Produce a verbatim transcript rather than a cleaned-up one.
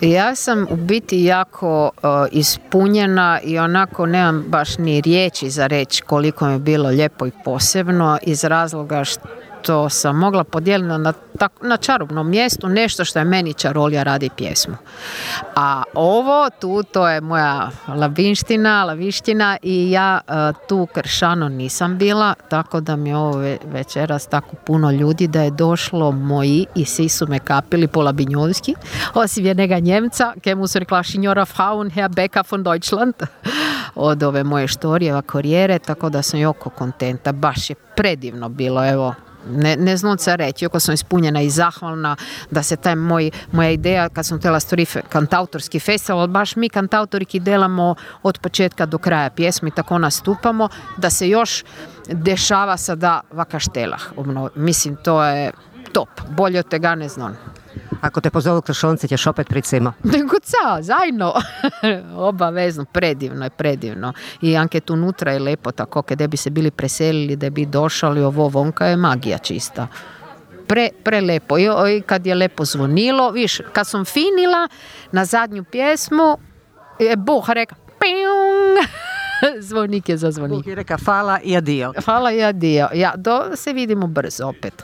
Ja sam u biti jako uh, ispunjena i onako nemam baš ni riječi za reći koliko mi je bilo lijepo i posebno iz razloga što sam mogla podijeliti na, na čarobnom mjestu nešto što je meni čarolija radi pjesmu. A ovo tu, to je moja labinština, laviština i ja uh, tu kršano nisam bila, tako da mi je ovo večeras tako puno ljudi da je došlo moji i svi su me kapili po labinjonski, osim jednega Njemca, kemu su rekla signora Frauen, Herr Becker von Deutschland, od ove moje štorijeva korijere, tako da sam jako kontenta, baš je predivno bilo, evo. Ne, ne znam se reći, ako sam ispunjena i zahvalna da se taj moj, moja ideja kad sam htjela stvoriti kantautorski festival, baš mi kantautoriki delamo od početka do kraja pjesmi, tako nastupamo, da se još dešava sada vakaštelah. Mislim, to je top, bolje od tega ne znam. Ako te pozovu Kršonci, ćeš opet pricima? Nego ca, zajedno. Obavezno, predivno je, predivno. I anke tu nutra je lepo, tako kada bi se bili preselili, da bi došali, ovo vonka je magija čista. Pre, prelepo. I, I kad je lepo zvonilo, viš, kad sam finila na zadnju pjesmu, je Bog reka, ping, zvonik je zazvonio. Bog je reka, hvala i adio. Hvala i adio. Ja, do, se vidimo brzo opet.